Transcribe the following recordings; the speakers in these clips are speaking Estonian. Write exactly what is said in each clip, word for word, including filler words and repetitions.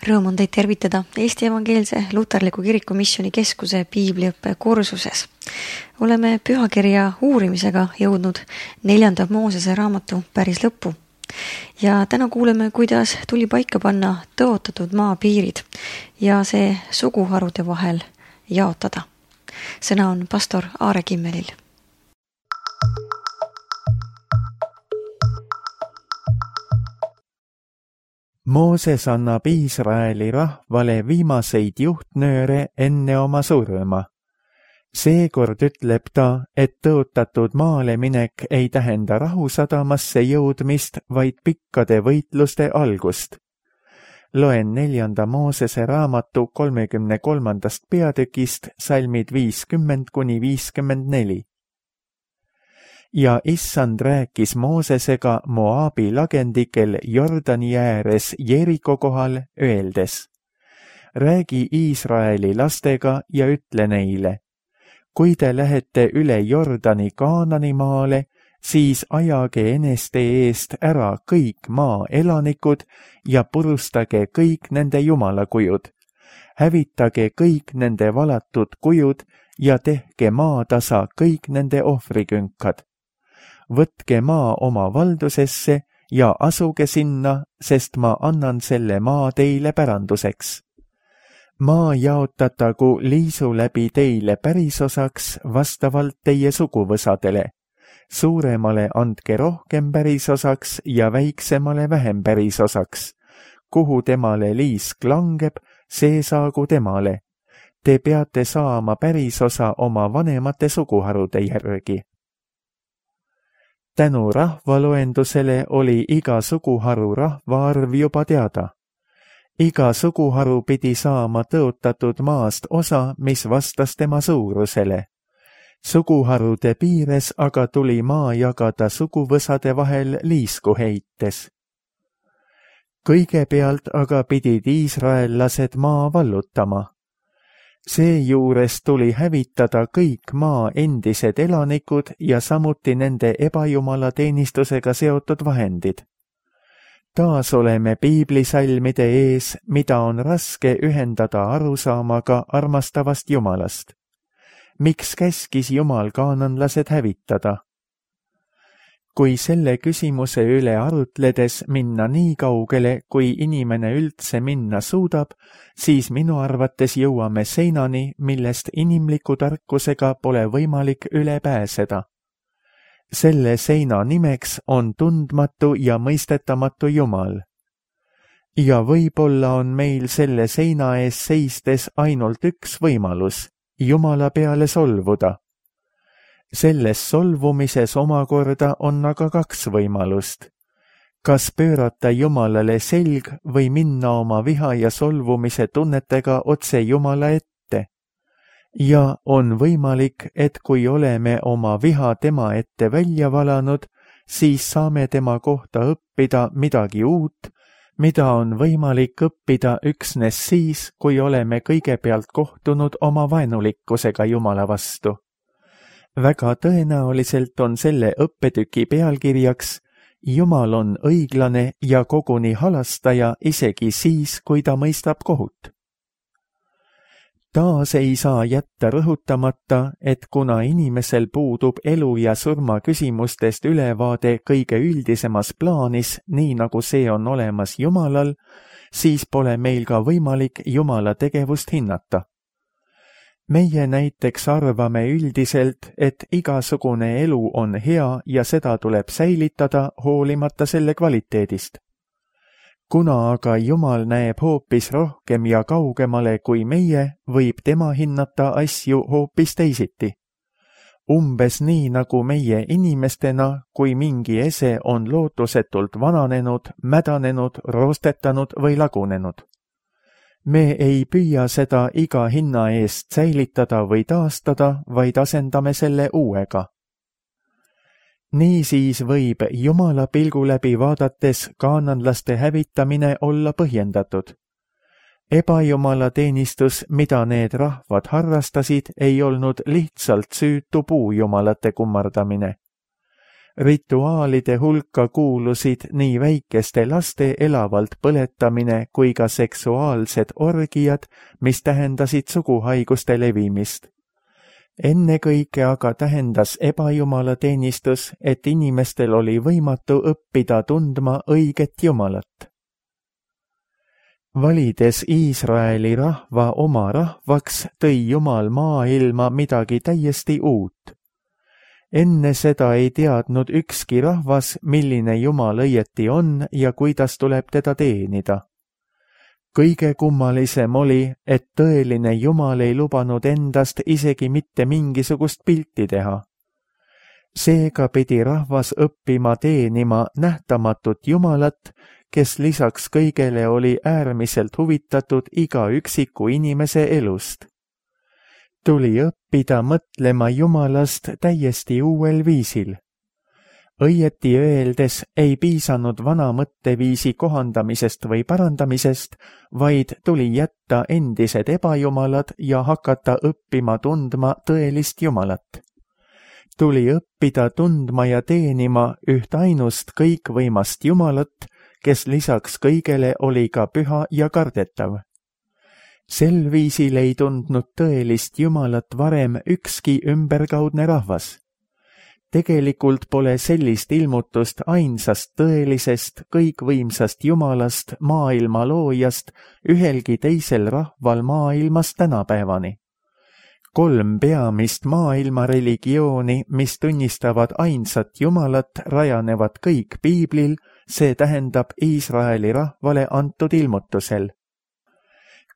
Rõõm on teid tervitada Eesti Evangeelse Luterliku Kiriku Missiooni Keskuse piibliõppe kursuses. Oleme pühakirja uurimisega jõudnud neljanda Moosese raamatu päris lõppu. Ja täna kuuleme, kuidas tuli paika panna tõotatud maa piirid ja see suguharude vahel jaotada. Sõna on pastor Aare Kimmelil. Mooses annab Iisraeli rahvale viimaseid juhtnööre enne oma surma. Seekord ütleb ta, et tõotatud maale minek ei tähenda rahusadamasse jõudmist, vaid pikkade võitluste algust. Loen neljanda Moosese raamatu kolmekümne kolmandast peatükist salmid viiskümmend kuni viiskümmend neli. Ja issand rääkis Moosesega Moabi lagendikel Jordani ääres Jeriko kohal, öeldes: räägi Iisraeli lastega ja ütle neile: kui te lähete üle Jordani Kaanani maale, siis ajage eneste eest ära kõik maa elanikud ja purustage kõik nende jumalakujud. Hävitage kõik nende valatud kujud ja tehke maatasa kõik nende ohvrikünkad. Võtke maa oma valdusesse ja asuge sinna, sest ma annan selle maa teile päranduseks. Maa jaotatagu liisu läbi teile pärisosaks vastavalt teie suguvõsadele. Suuremale andke rohkem pärisosaks ja väiksemale vähem pärisosaks. Kuhu temale liisk langeb, see saagu temale. Te peate saama pärisosa oma vanemate suguharude järgi. Tänu rahvaloendusele oli iga suguharu rahvaarv juba teada. Iga suguharu pidi saama tõotatud maast osa, mis vastas tema suurusele. Suguharude piires aga tuli maa jagada suguvõsade vahel liisku heites. Kõigepealt aga pidid iisraellased maa vallutama. Seejuures tuli hävitada kõik maa endised elanikud ja samuti nende ebajumala teenistusega seotud vahendid. Taas oleme piiblisalmide ees, mida on raske ühendada arusaamaga armastavast Jumalast. Miks käskis Jumal kaananlased hävitada? Kui selle küsimuse üle arutledes minna nii kaugele, kui inimene üldse minna suudab, siis minu arvates jõuame seinani, millest inimliku tarkusega pole võimalik üle pääseda. Selle seina nimeks on tundmatu ja mõistetamatu Jumal. Ja võib-olla on meil selle seina ees seistes ainult üks võimalus, Jumala peale solvuda. Selles solvumises omakorda on aga kaks võimalust. Kas pöörata Jumalale selg või minna oma viha ja solvumise tunnetega otse Jumala ette? Ja on võimalik, et kui oleme oma viha tema ette välja valanud, siis saame tema kohta õppida midagi uut, mida on võimalik õppida üksnes siis, kui oleme kõigepealt kohtunud oma vaenulikkusega Jumala vastu. Väga tõenäoliselt on selle õppetüki pealkirjaks: Jumal on õiglane ja koguni halastaja isegi siis, kui ta mõistab kohut. Taas ei saa jätta rõhutamata, et kuna inimesel puudub elu ja surma küsimustest ülevaade kõige üldisemas plaanis, nii nagu see on olemas Jumalal, siis pole meil ka võimalik Jumala tegevust hinnata. Meie näiteks arvame üldiselt, et igasugune elu on hea ja seda tuleb säilitada hoolimata selle kvaliteedist. Kuna aga Jumal näeb hoopis rohkem ja kaugemale kui meie, võib tema hinnata asju hoopis teisiti. Umbes nii nagu meie inimestena, kui mingi ese on lootusetult vananenud, mädanenud, roostetanud või lagunenud. Me ei püüa seda iga hinna eest säilitada või taastada, vaid asendame selle uuega. Niisiis võib Jumala pilgu läbi vaadates kaananlaste hävitamine olla põhjendatud. Ebajumala teenistus, mida need rahvad harrastasid, ei olnud lihtsalt süütu puujumalate kummardamine. Rituaalide hulka kuulusid nii väikeste laste elavalt põletamine kui ka seksuaalsed orgiad, mis tähendasid suguhaiguste levimist. Ennekõike aga tähendas ebajumalateenistus, et inimestel oli võimatu õppida tundma õiget Jumalat. Valides Iisraeli rahva oma rahvaks, tõi Jumal maailma midagi täiesti uut. Enne seda ei teadnud ükski rahvas, milline Jumal õieti on ja kuidas tuleb teda teenida. Kõige kummalisem oli, et tõeline Jumal ei lubanud endast isegi mitte mingisugust pilti teha. Seega pidi rahvas õppima teenima nähtamatut Jumalat, kes lisaks kõigele oli äärmiselt huvitatud iga üksiku inimese elust. Tuli õppida mõtlema Jumalast täiesti uuel viisil. Õieti öeldes ei piisanud vana mõtteviisi kohandamisest või parandamisest, vaid tuli jätta endised ebajumalad ja hakata õppima tundma tõelist Jumalat. Tuli õppida tundma ja teenima üht ainust kõikvõimast Jumalat, kes lisaks kõigele oli ka püha ja kardetav. Sel viisil ei tundnud tõelist Jumalat varem ükski ümberkaudne rahvas. Tegelikult pole sellist ilmutust ainsast tõelisest, kõikvõimsast Jumalast, maailma loojast, ühelgi teisel rahval maailmas tänapäevani. Kolm peamist maailma religiooni, mis tunnistavad ainsat Jumalat, rajanevad kõik piiblil, see tähendab Iisraeli rahvale antud ilmutusel.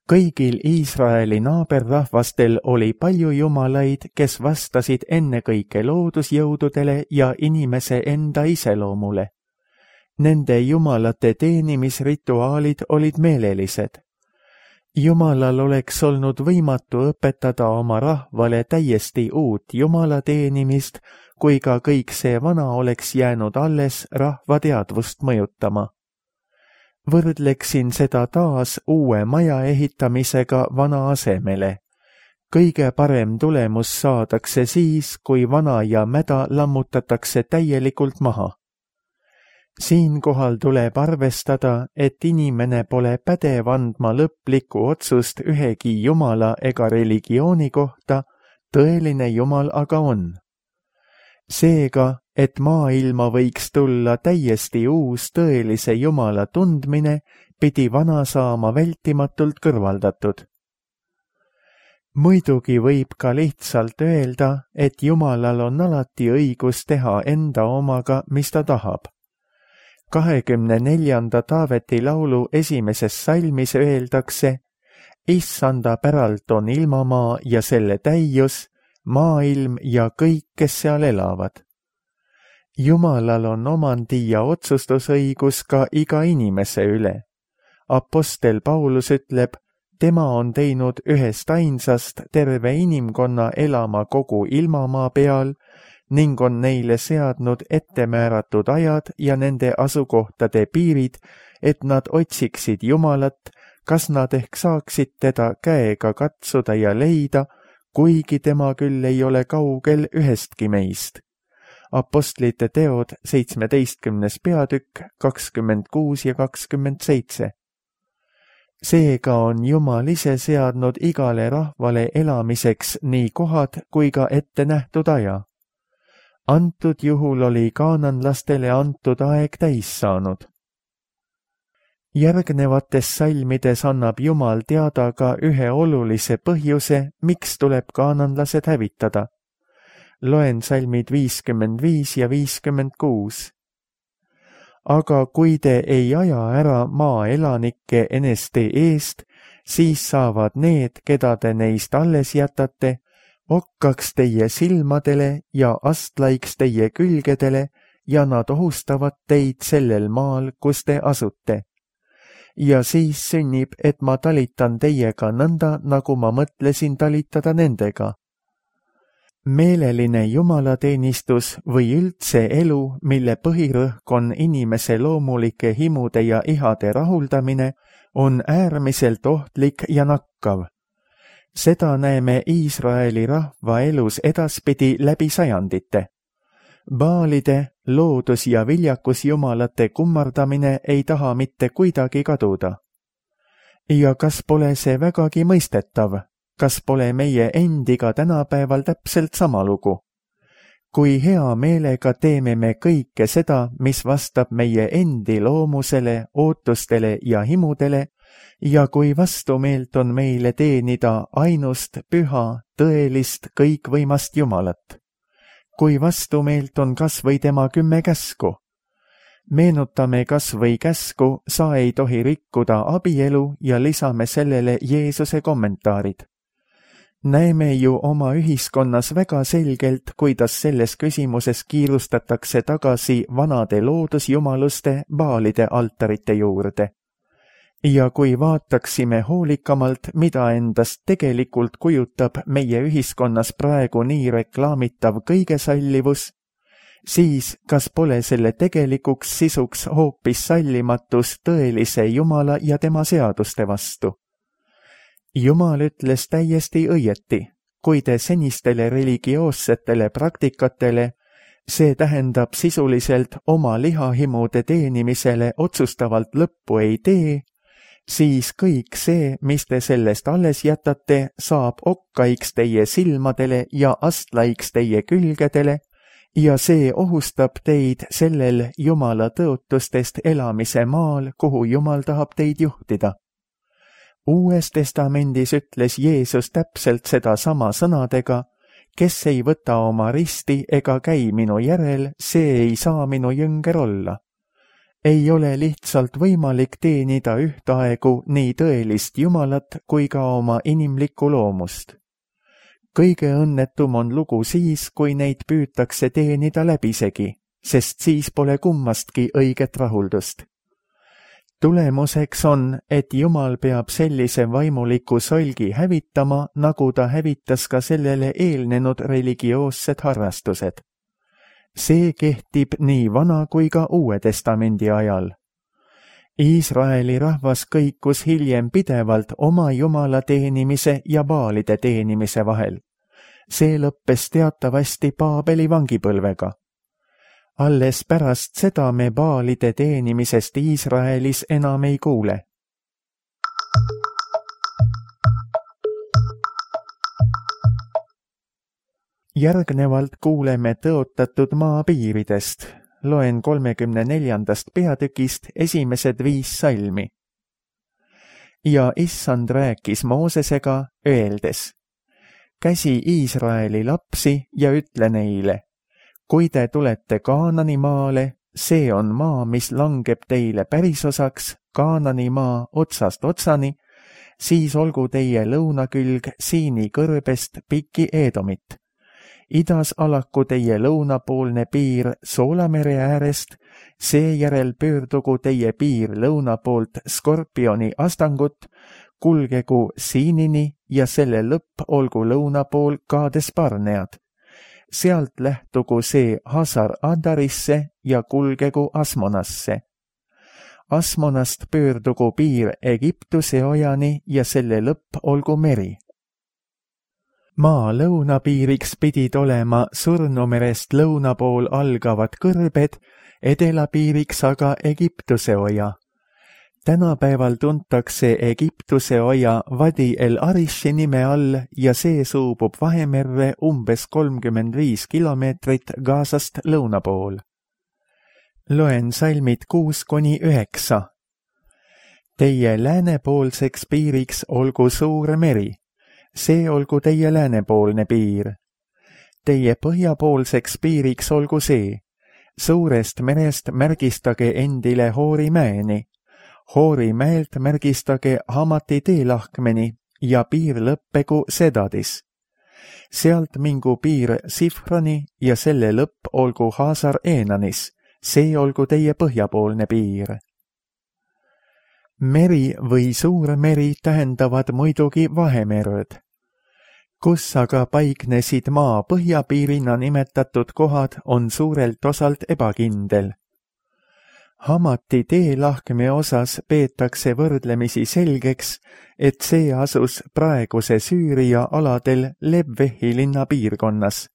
Kõigil Iisraeli naaberrahvastel oli palju jumalaid, kes vastasid ennekõike loodusjõududele ja inimese enda iseloomule. Nende jumalate teenimisrituaalid olid meelelised. Jumalal oleks olnud võimatu õpetada oma rahvale täiesti uut jumala teenimist, kui ka kõik see vana oleks jäänud alles rahva teadvust mõjutama. Võrdleksin seda taas uue maja ehitamisega vana asemele. Kõige parem tulemus saadakse siis, kui vana ja mäda lammutatakse täielikult maha. Siinkohal tuleb arvestada, et inimene pole pädev andma lõplikku otsust ühegi jumala ega religiooni kohta, tõeline Jumal aga on. Seega, et maailma võiks tulla täiesti uus tõelise Jumala tundmine, pidi vana saama vältimatult kõrvaldatud. Muidugi võib ka lihtsalt öelda, et Jumalal on alati õigus teha enda omaga, mis ta tahab. kahekümne neljanda Taaveti laulu esimeses salmis öeldakse: Issanda päralt on ilmamaa ja selle täius, maailm ja kõik, kes seal elavad. Jumalal on omandi ja otsustusõigus ka iga inimese üle. Apostel Paulus ütleb, tema on teinud ühest ainsast terve inimkonna elama kogu ilmamaa peal ning on neile seadnud ettemääratud ajad ja nende asukohtade piirid, et nad otsiksid Jumalat, kas nad ehk saaksid teda käega katsuda ja leida, kuigi tema küll ei ole kaugel ühestki meist. Apostlite teod seitsmeteistkümnes peatükk kakskümmend kuus ja kakskümmend seitse. Seega on Jumal ise seadnud igale rahvale elamiseks nii kohad kui ka ette nähtud aja. Antud juhul oli kaananlastele antud aeg täis saanud. Järgnevates salmides annab Jumal teada ka ühe olulise põhjuse, miks tuleb kaananlased hävitada. Loen salmid viiskümmend viis ja viiskümmend kuus. Aga kui te ei aja ära maa elanikke eneste eest, siis saavad need, keda te neist alles jätate, okkaks teie silmadele ja astlaiks teie külgedele ja nad ohustavad teid sellel maal, kus te asute. Ja siis sünnib, et ma talitan teiega nõnda, nagu ma mõtlesin talitada nendega. Meeleline jumalateenistus või üldse elu, mille põhirõhk on inimese loomulike himude ja ihade rahuldamine, on äärmiselt ohtlik ja nakkav. Seda näeme Iisraeli rahva elus edaspidi läbi sajandite. Baalide, loodus- ja viljakusjumalate kummardamine ei taha mitte kuidagi kaduda. Ja kas pole see vägagi mõistetav? Kas pole meie endiga tänapäeval täpselt sama lugu? Kui hea meelega teeme me kõike seda, mis vastab meie endi loomusele, ootustele ja himudele, ja kui vastumeelt on meile teenida ainust püha, tõelist, kõikvõimast Jumalat. Kui vastumeelt on kas või tema kümme käsku. Meenutame kas või käsku, sa ei tohi rikkuda abielu ja lisame sellele Jeesuse kommentaarid. Näeme ju oma ühiskonnas väga selgelt, kuidas selles küsimuses kiirustatakse tagasi vanade loodusjumaluste baalide altarite juurde. Ja kui vaataksime hoolikamalt, mida endast tegelikult kujutab meie ühiskonnas praegu nii reklaamitav kõigesallivus, siis kas pole selle tegelikuks sisuks hoopis sallimatus tõelise Jumala ja tema seaduste vastu? Jumal ütles täiesti õieti, kui te senistele religioossetele praktikatele, see tähendab sisuliselt oma lihahimude teenimisele otsustavalt lõppu ei tee, siis kõik see, mis te sellest alles jätate, saab okkaiks teie silmadele ja astlaiks teie külgedele ja see ohustab teid sellel Jumala tõotustest elamise maal, kuhu Jumal tahab teid juhtida. Uues testamendis ütles Jeesus täpselt seda sama sõnadega, kes ei võta oma risti ega käi minu järel, see ei saa minu jünger olla. Ei ole lihtsalt võimalik teenida ühtaegu nii tõelist Jumalat kui ka oma inimlikku loomust. Kõige õnnetum on lugu siis, kui neid püütakse teenida läbisegi, sest siis pole kummastki õiget rahuldust. Tulemuseks on, et Jumal peab sellise vaimuliku solgi hävitama, nagu ta hävitas ka sellele eelnenud religioossed harrastused. See kehtib nii vana kui ka Uue Testamendi ajal. Iisraeli rahvas kõikus hiljem pidevalt oma Jumala teenimise ja baalide teenimise vahel. See lõppes teatavasti Paabeli vangipõlvega. Alles pärast seda me baalide teenimisest Iisraelis enam ei kuule. Järgnevalt kuuleme tõotatud maa piiridest. Loen kolmekümne neljandast peatükist esimesed viis salmi. Ja Issand rääkis Moosesega, öeldes: käsi Iisraeli lapsi ja ütle neile: kui te tulete Kaanani maale, see on maa, mis langeb teile pärisosaks, Kaanani maa otsast otsani, siis olgu teie lõunakülg Siini kõrbest piki Eedomit. Idas alaku teie lõunapoolne piir Soolamere äärest, seejärel pöördugu teie piir lõunapoolt Skorpioni astangut, kulgegu Siinini ja selle lõpp olgu lõunapool Kaades Barnead. Sealt lähtugu see Hasar Adarisse ja kulgegu Asmonasse. Asmonast pöördugu piir Egiptuse ojani ja selle lõpp olgu meri. Maa lõunapiiriks pidid olema Surnumerest lõunapool algavad kõrbed, edelapiiriks aga Egiptuse oja. Tänapäeval tuntakse Egiptuse oja Vadi el Arishi nime all ja see suubub Vahemerre umbes kolmkümmend viis kilomeetrit Gazast lõuna pool. Loen salmid kuus kuni üheksa. Teie läänepoolseks piiriks olgu suur meri, see olgu teie läänepoolne piir. Teie põhjapoolseks piiriks olgu see, suurest merest märgistage endile Hoori mäeni, Hoori mäelt märgistage Hamati teelahkmeni ja piir lõppegu Sedadis. Sealt mingu piir Sifrani ja selle lõpp olgu Haasar Eenanis, see olgu teie põhjapoolne piir. Meri või suur meri tähendavad muidugi Vahemerd. Kus aga paiknesid maa põhjapiirina nimetatud kohad, on suurelt osalt ebakindel. Hamati teelahkme osas peetakse võrdlemisi selgeks, et see asus praeguse Süüria aladel Lebvehi linna piirkonnas.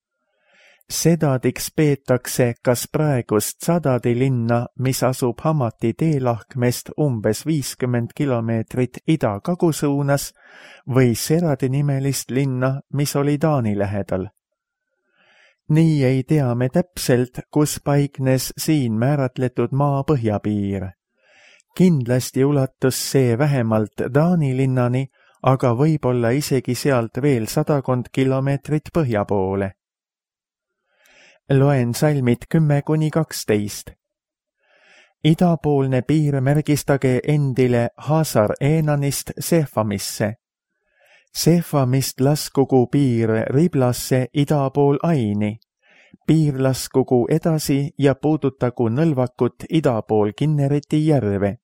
Sedadiks peetakse kas praegust Zadadi linna, mis asub Hamati teelahkmest umbes viiskümmend kilomeetrit ida-kagu suunas, või Seradi nimelist linna, mis oli Taani lähedal. Nii ei tea me täpselt, kus paiknes siin määratletud maa põhjapiir. Kindlasti ulatus see vähemalt Taani linnani, aga võib-olla isegi sealt veel sadakond kilomeetrit põhja poole. Loen salmid kümme kuni kaksteist. Idapoolne piir märgistage endile Hasar Eenanist Sefamisse. Sefamist laskugu piir Riblasse idapool Aini. Piir laskugu edasi ja puudutagu nõlvakut idapool Kinnereti järve.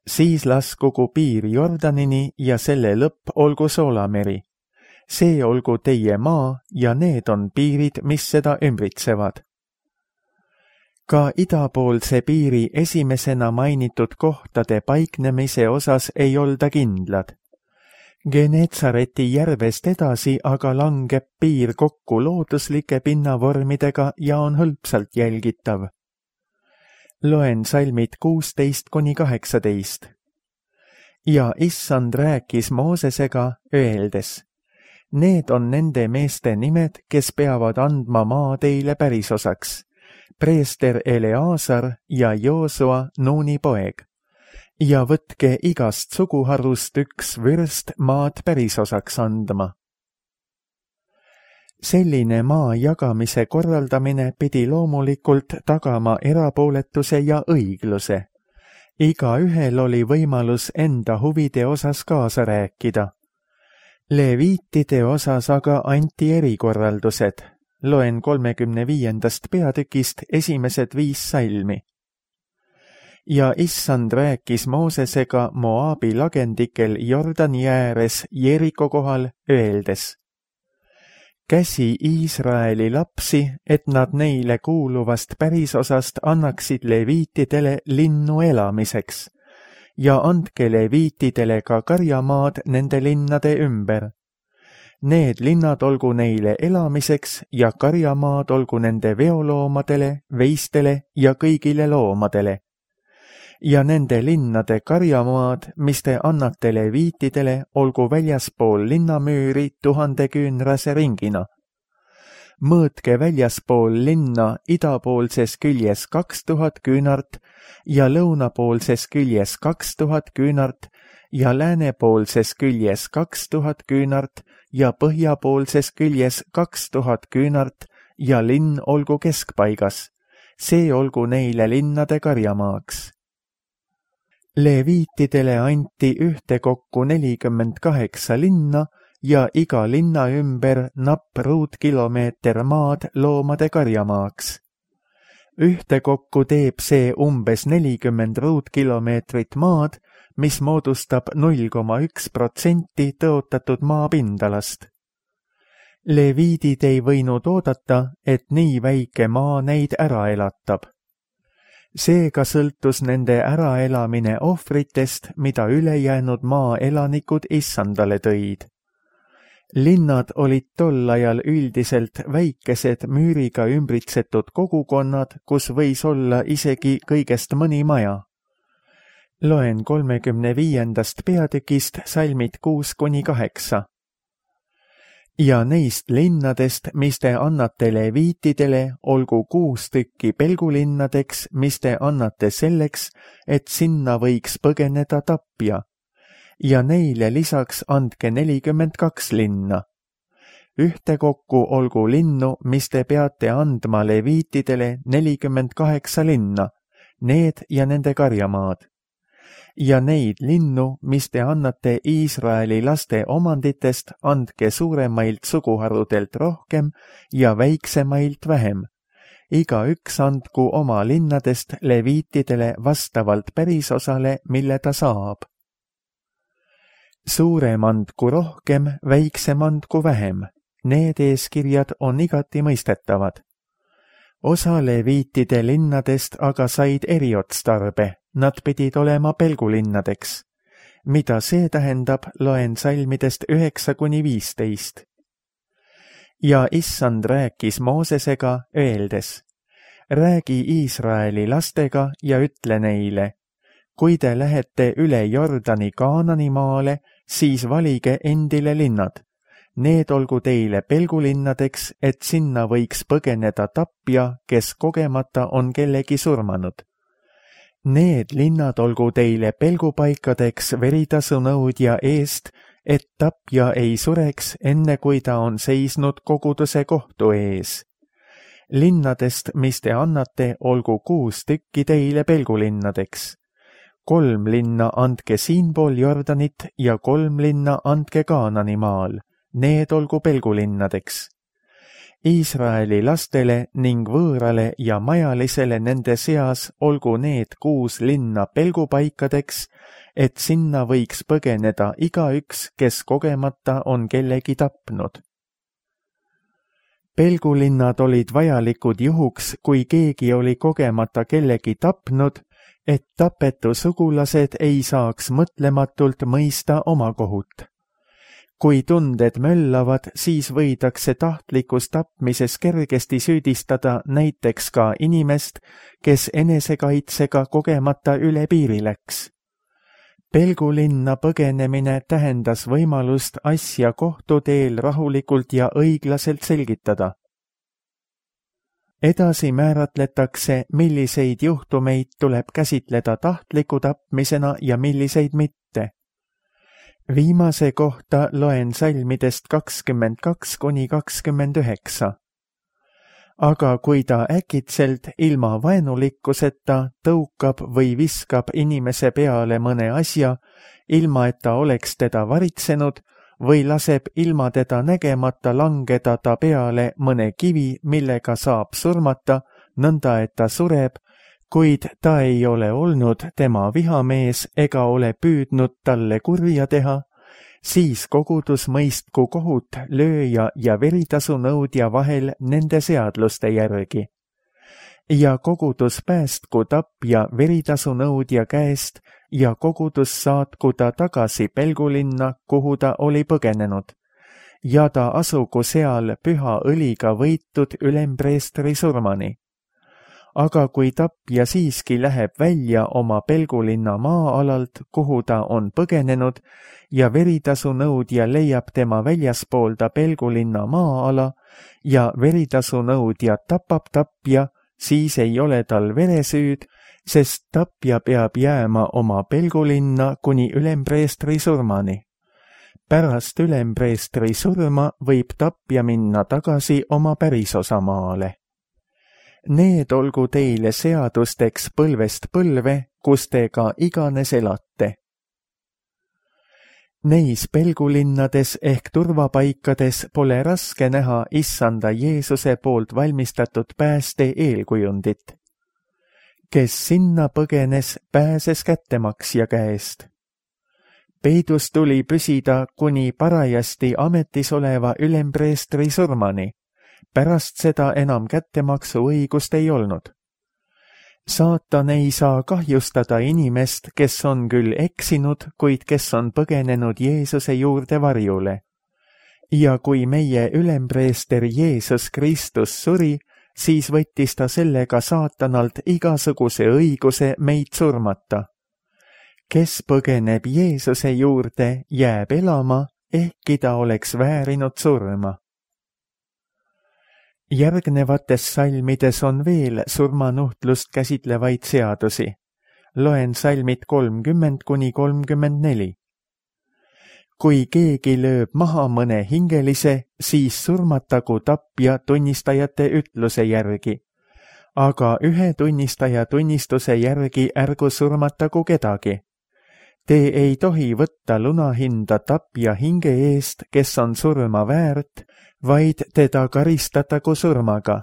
Siis laskugu piir Jordanini ja selle lõpp olgu Soolameri. See olgu teie maa ja need on piirid, mis seda ümbritsevad. Ka idapoolse piiri esimesena mainitud kohtade paiknemise osas ei olda kindlad. Genetsareti järvest edasi aga langeb piir kokku looduslike pinnavormidega ja on hõlpsalt jälgitav. Loen salmid kuusteist kuni kaheksateist. Ja Issand rääkis Moosesega, öeldes: Need on nende meeste nimed, kes peavad andma maa teile pärisosaks. Preester Eleazar ja Joosua Nuuni poeg. Ja võtke igast suguharust üks vürst maad pärisosaks andma. Selline maa jagamise korraldamine pidi loomulikult tagama erapooletuse ja õigluse. Igaühel oli võimalus enda huvide osas kaasa rääkida. Leviitide osas aga anti erikorraldused. Loen kolmekümne viiendast peatükist esimesed viis salmi. Ja Issand rääkis Moosesega Moabi lagendikel Jordani ääres Jeriko kohal, öeldes: Käsi Iisraeli lapsi, et nad neile kuuluvast pärisosast annaksid leviitidele linnu elamiseks, ja andke leviitidele ka karjamaad nende linnade ümber. Need linnad olgu neile elamiseks ja karjamaad olgu nende veoloomadele, veistele ja kõigile loomadele. Ja nende linnade karjamaad, mis te annate leviitidele, olgu väljaspool linnamüüri tuhande küünrase ringina. Mõõtke väljaspool linna idapoolses küljes kaks tuhat küünart ja lõunapoolses küljes kaks tuhat küünart ja läänepoolses küljes kaks tuhat küünart ja põhjapoolses küljes kaks tuhat küünart ja linn olgu keskpaigas. See olgu neile linnade karjamaaks. Leviitidele anti ühtekokku nelikümmend kaheksa linna ja iga linna ümber napp ruutkilomeeter maad loomade karjamaaks. Ühtekokku teeb see umbes nelikümmend ruutkilomeetrit maad, mis moodustab null koma üks protsenti tõotatud maapindalast. Leviidid ei võinud oodata, et nii väike maa neid ära elatab. Seega sõltus nende äraelamine ohvritest, mida ülejäänud maa elanikud Issandale tõid. Linnad olid tol ajal üldiselt väikesed müüriga ümbritsetud kogukonnad, kus võis olla isegi kõigest mõni maja. Loen kolmekümne viiendast peatükist salmid kuus kuni kaheksa. Ja neist linnadest, mis te annate leviitidele, olgu kuus tükki pelgulinnadeks, mis te annate selleks, et sinna võiks põgeneda tapja. Ja neile lisaks andke nelikümmend kaks linna. Ühtekokku olgu linnu, mis te peate andma leviitidele nelikümmend kaheksa linna, need ja nende karjamaad. Ja neid linnu, mis te annate Iisraeli laste omanditest, andke suuremailt suguharudelt rohkem ja väiksemailt vähem. Igaüks andku oma linnadest leviitidele vastavalt pärisosale, mille ta saab. Suurem andku rohkem, väiksem andku vähem. Need eeskirjad on igati mõistetavad. Osa leviitide linnadest aga said eriotstarbe. Nad pidid olema pelgulinnadeks. Mida see tähendab, loen salmidest üheksa kuni viisteist. ja issand rääkis Moosesega, öeldes: räägi Iisraeli lastega ja ütle neile: kui te lähete üle Jordani Kaanani maale, siis valige endile linnad. Need olgu teile pelgulinnadeks, et sinna võiks põgeneda tapja, kes kogemata on kellegi surmanud. Need linnad olgu teile pelgupaikadeks veritasunõudja eest, et tapja ei sureks, enne kui ta on seisnud koguduse kohtu ees. Linnadest, mis te annate, olgu kuus tükki teile pelgulinnadeks. Kolm linna andke siinpool Jordanit ja kolm linna andke Kaanani maal. Need olgu pelgulinnadeks. Iisraeli lastele ning võõrale ja majalisele nende seas olgu need kuus linna pelgupaikadeks, et sinna võiks põgeneda igaüks, kes kogemata on kellegi tapnud. Pelgulinnad olid vajalikud juhuks, kui keegi oli kogemata kellegi tapnud, et tapetu sugulased ei saaks mõtlematult mõista oma kohut. Kui tunded möllavad, siis võidakse tahtlikus tapmises kergesti süüdistada näiteks ka inimest, kes enesekaitsega kogemata üle piiri läks. Pelgulinna põgenemine tähendas võimalust asja kohtuteel rahulikult ja õiglaselt selgitada. Edasi määratletakse, milliseid juhtumeid tuleb käsitleda tahtliku tapmisena ja milliseid mitte. Viimase kohta loen salmidest kakskümmend kaks kuni kakskümmend üheksa. Aga kui ta äkitselt ilma vaenulikkuseta tõukab või viskab inimese peale mõne asja, ilma et ta oleks teda varitsenud, või laseb ilma teda nägemata langeda ta peale mõne kivi, millega saab surmata, nõnda et ta sureb, kuid ta ei ole olnud tema vihamees ega ole püüdnud talle kurja teha, siis kogudus mõistku kohut lööja ja veritasunõudja vahel nende seadluste järgi. Ja kogudus päästku tapja veritasunõudja käest ja kogudus saatku ta tagasi pelgulinna, kuhu ta oli põgenenud, ja ta asugu seal püha õliga võitud ülempreestri surmani. Aga kui tapja siiski läheb välja oma pelgulinna maa-alalt, kuhu ta on põgenenud, ja veritasunõudja leiab tema väljaspoolda pelgulinna maa-ala ja veritasunõudja tapab tapja, siis ei ole tal veresüüd, sest tapja peab jääma oma pelgulinna kuni ülempreestri surmani. Pärast ülempreestri surma võib tapja minna tagasi oma pärisosamaale. Need olgu teile seadusteks põlvest põlve, kus te ka iganes elate. Neis pelgulinnades ehk turvapaikades pole raske näha issanda Jeesuse poolt valmistatud pääste eelkujundit. Kes sinna põgenes, pääses kättemaksja käest. Peidus tuli püsida kuni parajasti ametis oleva ülempreestri surmani. Pärast seda enam kättemaksu õigust ei olnud. Saatan ei saa kahjustada inimest, kes on küll eksinud, kuid kes on põgenenud Jeesuse juurde varjule. Ja kui meie ülempreester Jeesus Kristus suri, siis võttis ta sellega saatanalt igasuguse õiguse meid surmata. Kes põgeneb Jeesuse juurde, jääb elama, ehkki ta oleks väärinud surma. Järgnevates salmides on veel surmanuhtlust käsitlevaid seadusi. Loen salmid kolmkümmend kuni kolmkümmend neli. Kui keegi lööb maha mõne hingelise, siis surmatagu tapja tunnistajate ütluse järgi. Aga ühe tunnistaja tunnistuse järgi ärgu surmatagu kedagi. Te ei tohi võtta lunahinda tapja hinge eest, kes on surma väärt, vaid teda karistatagu surmaga.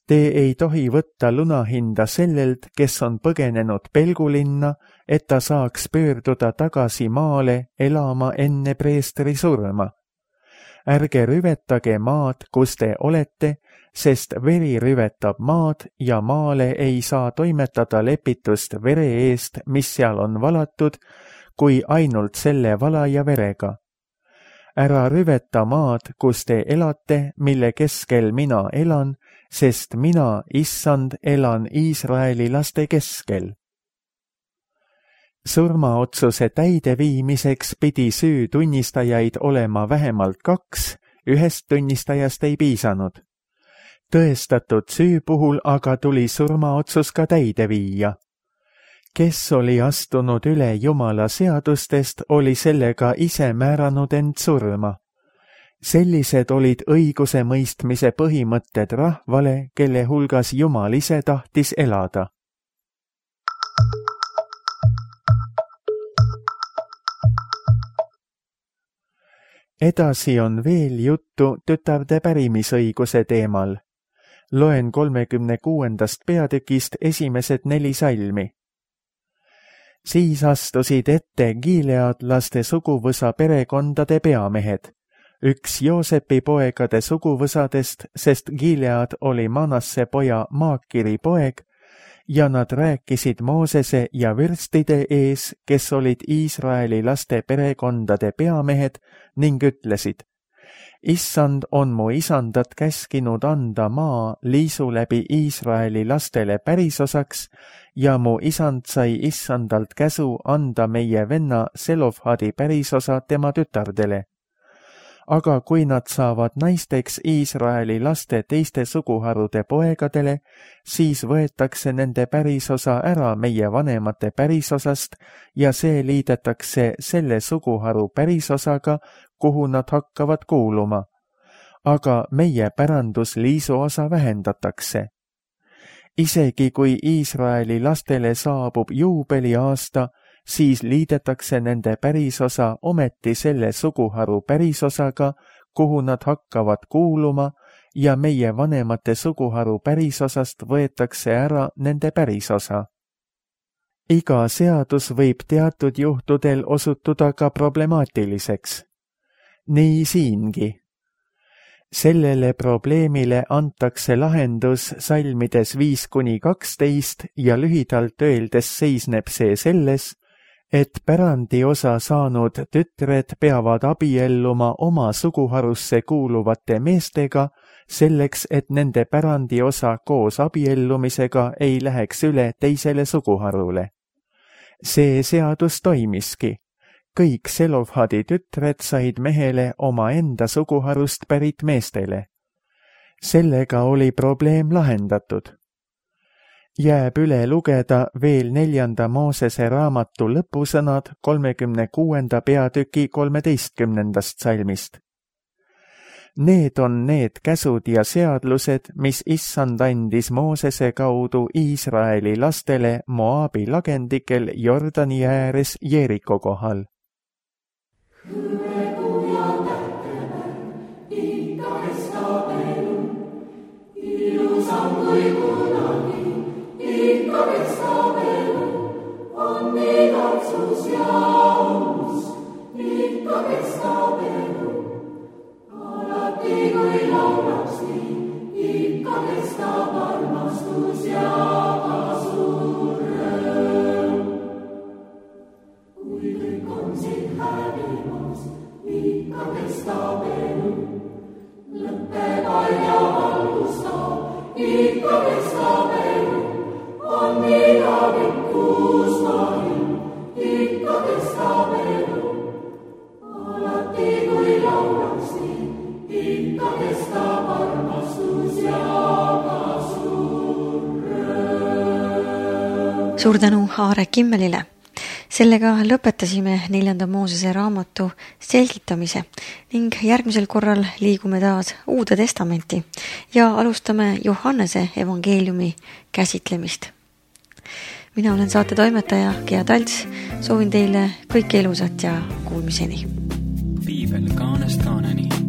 Te ei tohi võtta lunahinda sellelt, kes on põgenenud pelgulinna, et ta saaks pöörduda tagasi maale elama enne preestri surma. Ärge rüvetage maad, kus te olete, sest veri rüvetab maad ja maale ei saa toimetada lepitust vere eest, mis seal on valatud, kui ainult selle valaja verega. ära rüveta maad, kus te elate, mille keskel mina elan, sest mina, issand, elan Iisraeli laste keskel. Surmaotsuse täideviimiseks pidi süü tunnistajaid olema vähemalt kaks, ühest tunnistajast ei piisanud. Tõestatud süü puhul aga tuli surmaotsus ka täide viia. Kes oli astunud üle Jumala seadustest, oli sellega ise määranud end surma. Sellised olid õiguse mõistmise põhimõtted rahvale, kelle hulgas Jumal ise tahtis elada. Edasi on veel juttu tütarde pärimisõiguse teemal. Loen kolmekümne kuuendast peatükist esimesed neli salmi. Siis astusid ette giileadlaste suguvõsa perekondade peamehed, üks Joosepi poegade suguvõsadest, sest Gilead oli Manasse poja Maakiri poeg, ja nad rääkisid Moosese ja vürstide ees, kes olid Iisraeli laste perekondade peamehed, ning ütlesid: Issand on mu isandat käskinud anda maa liisu läbi Iisraeli lastele pärisosaks ja mu isand sai issandalt käsu anda meie venna Selofhadi pärisosa tema tütardele. Aga kui nad saavad naisteks Iisraeli laste teiste suguharude poegadele, siis võetakse nende pärisosa ära meie vanemate pärisosast ja see liidetakse selle suguharu pärisosaga, kuhu nad hakkavad kuuluma. Aga meie pärandusliisu osa vähendatakse. Isegi kui Iisraeli lastele saabub juubeliaasta, siis liidetakse nende pärisosa ometi selle suguharu pärisosaga, kuhu nad hakkavad kuuluma, ja meie vanemate suguharu pärisosast võetakse ära nende pärisosa. Iga seadus võib teatud juhtudel osutuda ka problemaatiliseks. Nii siingi. Sellele probleemile antakse lahendus salmides viis kuni kaksteist ja lühidalt öeldes seisneb see selles, et pärandiosa saanud tütred peavad abielluma oma suguharusse kuuluvate meestega, selleks et nende pärandiosa koos abiellumisega ei läheks üle teisele suguharule. See seadus toimiski. Kõik Selofhadi tütred said mehele oma enda suguharust pärit meestele. Sellega oli probleem lahendatud. Jääb üle lugeda veel neljanda Moosese raamatu lõpusõnad kolmekümne kuuenda peatüki kolmeteistkümnendast salmist. Need on need käsud ja seadlused, mis issand andis Moosese kaudu Iisraeli lastele Moabi lagendikel Jordani ääres Jeeriko kohal. Ikka kestab elu, on igatsus ja aus. Ikka kestab elu, alati kui laulaks nii. Ikka kestab armastus ja ka suur rõõm. Kui kõik on siin hävimas, ikka kestab elu. Lõppeb aeg ja valgustab, ikka kestab elu. On igavikuus mahim, ikka kestab elu. Alati kui laulaks nii, ikka kestab armastus ja ka suur rõõm. Suur tänu Aare Kimmelile. Sellega lõpetasime neljanda Moosese raamatu selgitamise ning järgmisel korral liigume taas Uude Testamenti ja alustame Johannese evangeeliumi käsitlemist. Mina olen saate toimetaja Gea Talts, soovin teile kõike ilusat ja kuulmiseni. Piibel kaanest kaaneni.